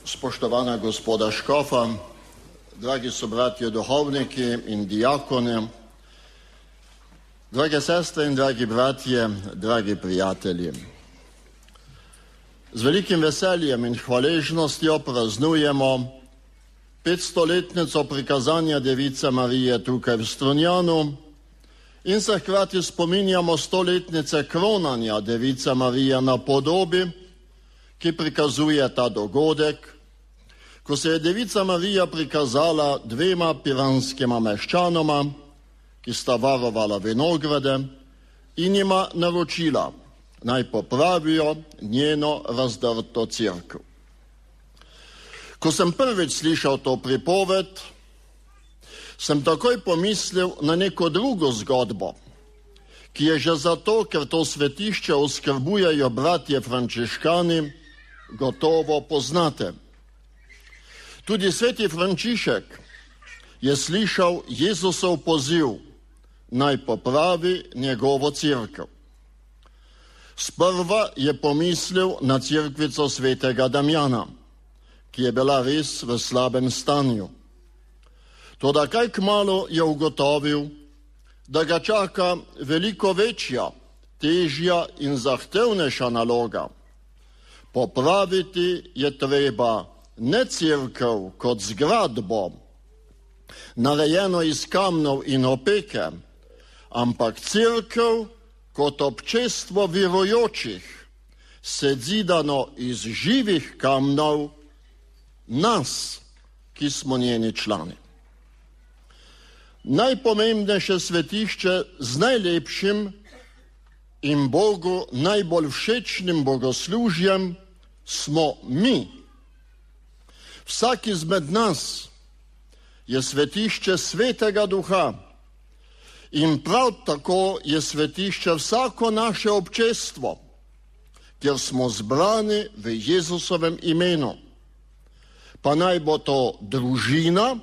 spoštovana gospoda škofa, dragi sobratje duhovniki in dijakoni, drage sestre in dragi bratje, dragi prijatelji. Z velikim veseljem in hvaležnostjo praznujemo 500-letnico prikazanja Device Marije tukaj v Strunjanu in se hkrati spominjamo 100-letnice kronanja Device Marije na podobi, ki prikazuje ta dogodek, ko se je Devica Marija prikazala dvema piranskima meščanoma, ki sta varovala vinograde in jima naročila, naj popravijo njeno razdrto cerkev. Ko sem prvič slišal to pripoved, sem takoj pomislil na neko drugo zgodbo, ki je že zato, ker to svetišče oskrbujejo bratje frančiškani, gotovo poznate. Tudi sveti Frančišek je slišal Jezusov poziv, naj popravi njegovo cerkev. Sprva je pomislil na cerkvico svetega Damjana, ki je bila res v slabem stanju. Toda kaj kmalu je ugotovil, da ga čaka veliko večja, težja in zahtevnejša naloga. Popraviti je treba ne cerkev kot zgradbo, narejeno iz kamnov in opeke, ampak cerkev kot občestvo verujočih, sedzidano iz živih kamnov, nas, ki smo njeni člani. Najpomembnejše svetišče z najlepšim in Bogu najbolj všečnim bogoslužjem smo mi. Vsak izmed nas je svetišče svetega duha in prav tako je svetišče vsako naše občestvo, kjer smo zbrani v Jezusovem imenu. Pa naj bo to družina,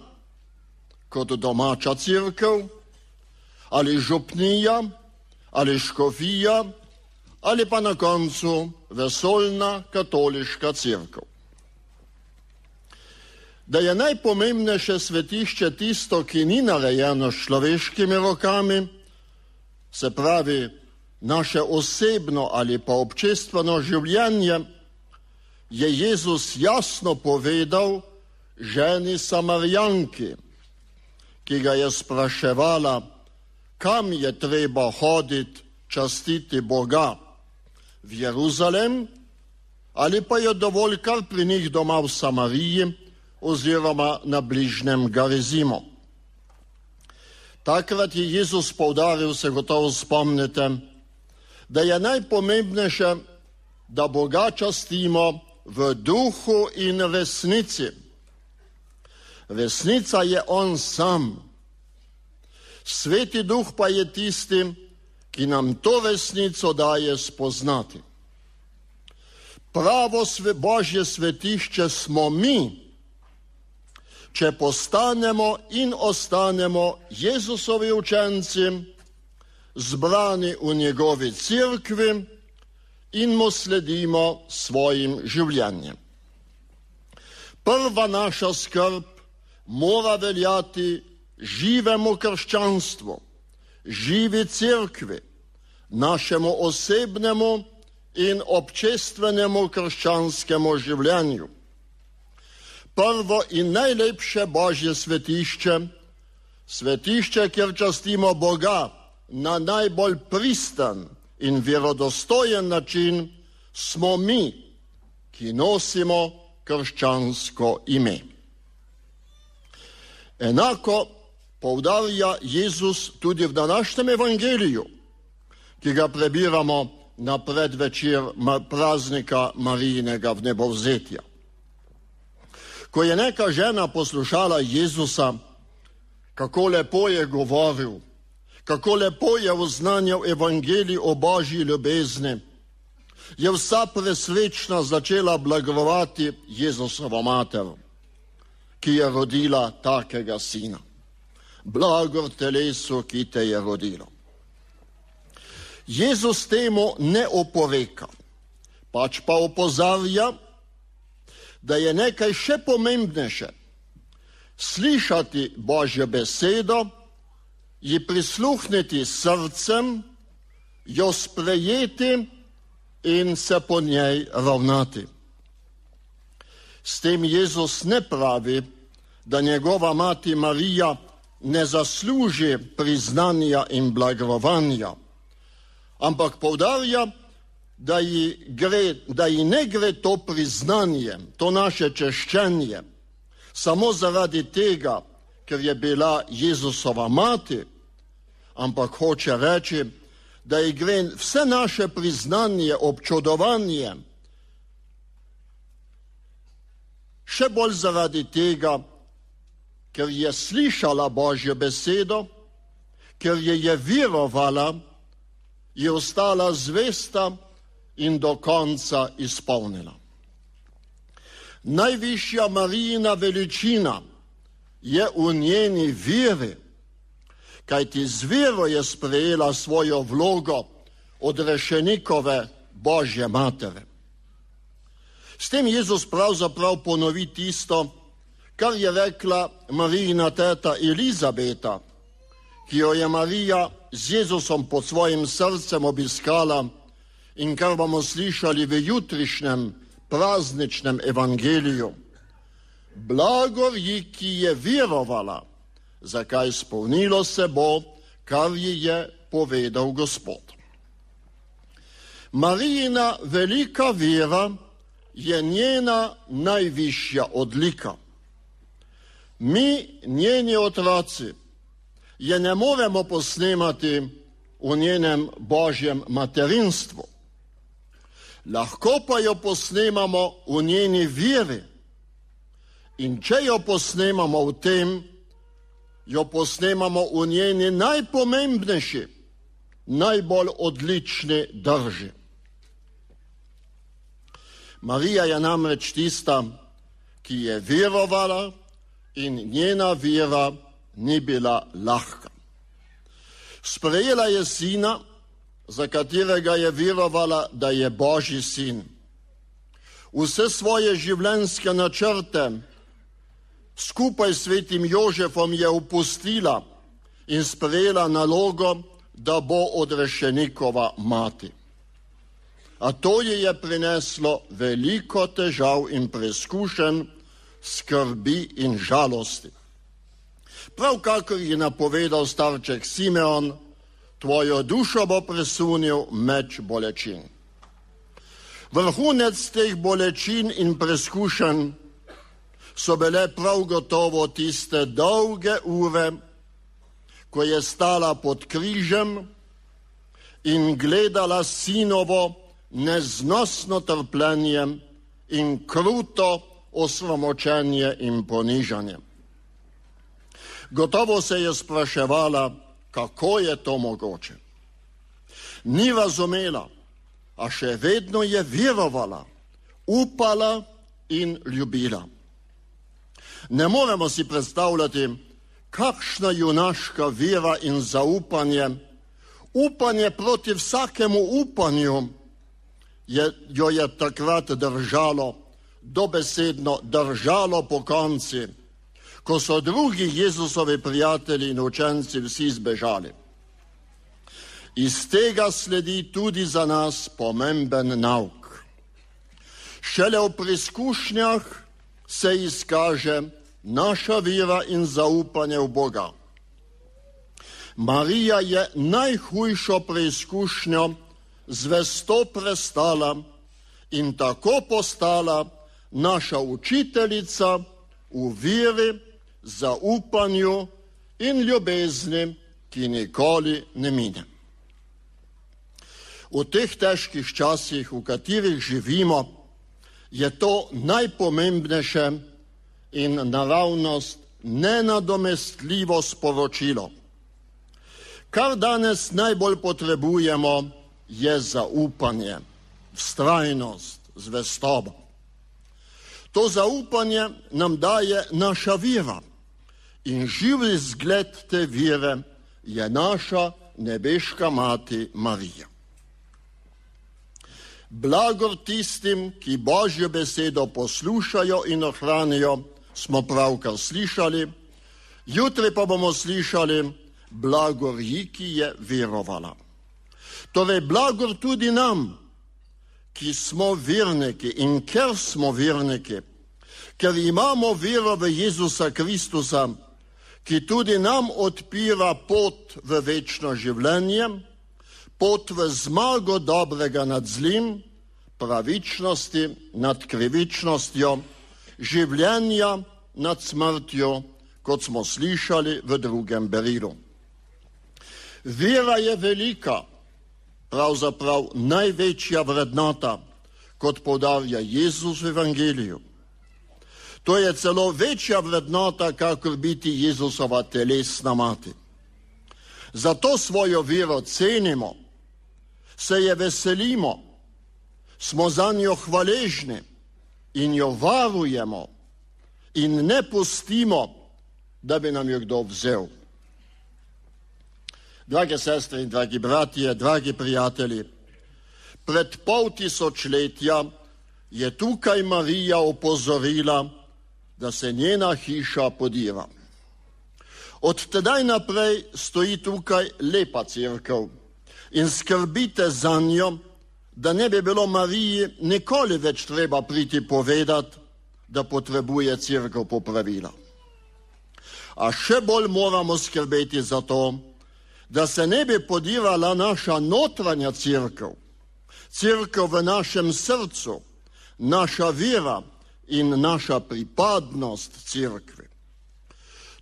kot domača cerkev, ali župnija, ali škofija, ali pa na koncu vesoljna katoliška cerkev. Da je najpomembnejše svetišče tisto, ki ni narejeno s človeškimi rokami, se pravi naše osebno ali pa občestveno življenje, je Jezus jasno povedal ženi Samarijanki, ki ga je spraševala, kam je treba hoditi častiti Boga, v Jeruzalem ali pa je dovolj kar pri njih doma v Samariji oziroma na bližnjem Garizimu. Takrat je Jezus poudaril, se gotovo spomnite, da je najpomembnejše, da Boga častimo v duhu in resnici. Resnica je on sam. Sveti duh pa je tisti, ki nam to resnico daje spoznati. Pravo Božje svetišče smo mi, če postanemo in ostanemo Jezusovi učenci, zbrani v njegovi cerkvi in mu sledimo svojim življenjem. Prva naša skrb mora veljati živemu krščanstvu, živi cerkvi, našemu osebnemu in občestvenemu krščanskemu življenju. Prvo in najlepše Božje svetišče, svetišče, kjer častimo Boga na najbolj pristan in verodostojen način, smo mi, ki nosimo krščansko ime. Enako poudarja Jezus tudi v današnjem evangeliju, ki ga prebiramo na predvečer praznika Marijinega vnebovzetja. Ko je neka žena poslušala Jezusa, kako lepo je govoril, kako lepo je oznanjal evangelij o Božji ljubezni, je vsa presrečna začela blagovati Jezusovo mater, ki je rodila takega sina. Blagor telesu, ki te je rodilo. Jezus temu ne oporeka, pač pa opozarja, da je nekaj še pomembnejše. Slišati Božjo besedo, ji prisluhniti srcem, jo sprejeti in se po njej ravnati. S tem Jezus ne pravi, da njegova mati Marija ne zasluži priznanja in blagrovanja, ampak poudarja, da ji ne gre to priznanje, to naše češčenje, samo zaradi tega, ker je bila Jezusova mati, ampak hoče reči, da ji gre vse naše priznanje, občudovanje, še bolj zaradi tega, ker je slišala Božjo besedo, ker je verovala, je ostala zvesta in do konca izpolnila. Najvišja Marijina veličina je v njeni veri, kajti z vero je sprejela svojo vlogo odrešenikove Božje matere. S tem Jezus pravzaprav ponovi tisto, kar je rekla Marijina teta Elizabeta, ki jo je Marija z Jezusom pod svojim srcem obiskala in kar bomo slišali v jutrišnjem prazničnem evangeliju. Blagor ji, ki je verovala, zakaj izpolnilo se bo, kar ji je povedal Gospod. Marijina velika vera je njena najvišja odlika. Mi, njeni otroci, je ne moremo posnemati v njenem Božjem materinstvu. Lahko pa jo posnemamo v njeni veri. In če jo posnemamo v tem, jo posnemamo v njeni najpomembnejši, najbolj odlični drži. Marija je namreč tista, ki je verovala in njena vera ni bila lahka. Sprejela je sina, za katerega je verovala, da je Božji sin. Vse svoje življenjske načrte skupaj s svetim Jožefom je opustila in sprejela nalogo, da bo odrešenikova mati. A to ji je prineslo veliko težav in preizkušenj, skrbi in žalosti. Prav kakor je napovedal starček Simeon, tvojo dušo bo presunil meč bolečin. Vrhunec teh bolečin in preizkušenj so bile prav gotovo tiste dolge ure, ko je stala pod križem in gledala sinovo neznosno trpljenje in kruto osramočenje in ponižanje. Gotovo se je spraševala, kako je to mogoče. Ni razumela, a še vedno je verovala, upala in ljubila. Ne moremo si predstavljati, kakšna junaška vera in zaupanje, upanje proti vsakemu upanju jo je takrat držalo, dobesedno držalo po konci, ko so drugi Jezusovi prijatelji in učenci vsi zbežali. Iz tega sledi tudi za nas pomemben nauk. Šele v preizkušnjah se izkaže naša vera in zaupanje v Boga. Marija je najhujšo preizkušnjo zvesto prestala in tako postala naša učiteljica v veri, zaupanju in ljubezni, ki nikoli ne mine. V teh težkih časih, v katerih živimo, je to najpomembnejše in naravnost nenadomestljivo sporočilo. Kar danes najbolj potrebujemo, je zaupanje, vztrajnost, zvestobo. To zaupanje nam daje naša vera in živi zgled te vere je naša nebeška mati Marija. Blagor tistim, ki Božjo besedo poslušajo in ohranijo, smo pravkar slišali. Jutri pa bomo slišali blagor ji, ki je verovala. Torej blagor tudi nam, ki smo verniki, in ker smo verniki, ker imamo vero v Jezusa Kristusa, ki tudi nam odpira pot v večno življenje, pot v zmago dobrega nad zlim, pravičnosti nad krivičnostjo, življenja nad smrtjo, kot smo slišali v drugem berilu. Vera je velika, pravzaprav največja vrednota, kot poudarja Jezus v Evangeliju. To je celo večja vrednota, kakor biti Jezusova telesna mati. Zato svojo vero cenimo, se je veselimo, smo za njo hvaležni in jo varujemo in ne pustimo, da bi nam jo kdo vzel. Drage sestre in dragi bratje, dragi prijatelji, pred 500 let je tukaj Marija opozorila, da se njena hiša podira. Od tedaj naprej stoji tukaj lepa cerkev in skrbite za njo, da ne bi bilo Mariji nikoli več treba priti povedati, da potrebuje cerkev popravila. A še bolj moramo skrbeti za to, da se ne bi podirala naša notranja cerkev, cerkev v našem srcu, naša vera in naša pripadnost cerkvi.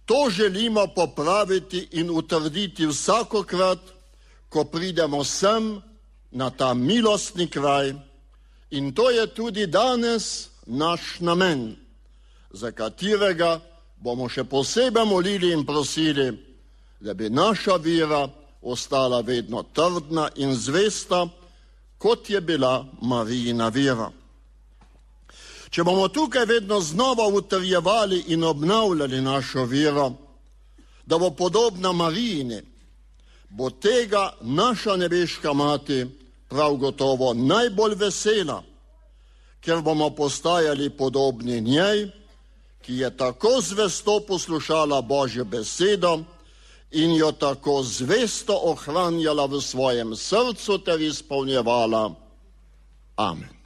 To želimo popraviti in utrditi vsakokrat, ko pridemo sem na ta milostni kraj, in to je tudi danes naš namen, za katerega bomo še posebej molili in prosili, da bi naša vera ostala vedno trdna in zvesta, kot je bila Marijina vera. Če bomo tukaj vedno znova utrjevali in obnavljali našo vero, da bo podobna Marijini, bo tega naša nebeška mati prav gotovo najbolj vesela, ker bomo postajali podobni njej, ki je tako zvesto poslušala Božjo besedo in jo tako zvesto ohranjala v svojem srcu ter izpolnjevala. Amen.